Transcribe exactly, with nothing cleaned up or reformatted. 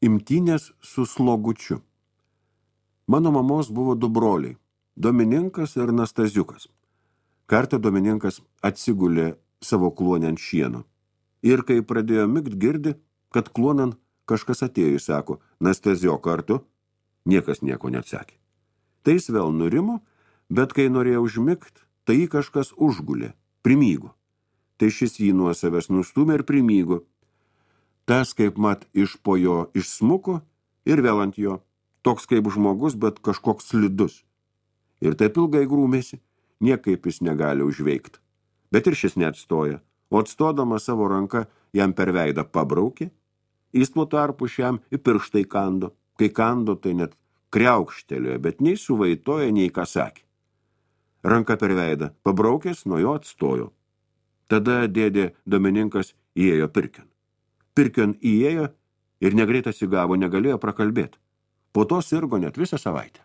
Imtynės su slogučiu. Mano mamos buvo du broliai, Domininkas ir Nastaziukas. Kartą Domininkas atsigulė savo kluonę ant šieno. Ir kai pradėjo migt, girdi, kad kluonan kažkas atėjo, sako, Nastazio kartu, niekas nieko neatsakė. Tai jis vėl nurimo, bet kai norėjo užmigt, tai jį kažkas užgulė, primygo. Tai šis jį nuo savęs nustumė ir primygo. Tas, kaip mat, iš po jo išsmuko ir vėl ant jo, toks kaip žmogus, bet kažkoks slidus. Ir taip ilgai grūmėsi, niekaip jis negali užveikti. Bet ir šis neatstoja, o atstodama savo ranką jam per veidą pabraukė, jis tuo tarpu šiam į pirštai kando, kai kando tai net kriaukštelėjo, bet nei suvaitoja, nei ką sakė. Ranka per veidą pabraukęs, nuo jo atstojo. Tada dėdė Domininkas įėjo pirkion. Pirkion įėjo ir negreit atsigavo, negalėjo prakalbėti. Po to sirgo net visą savaitę.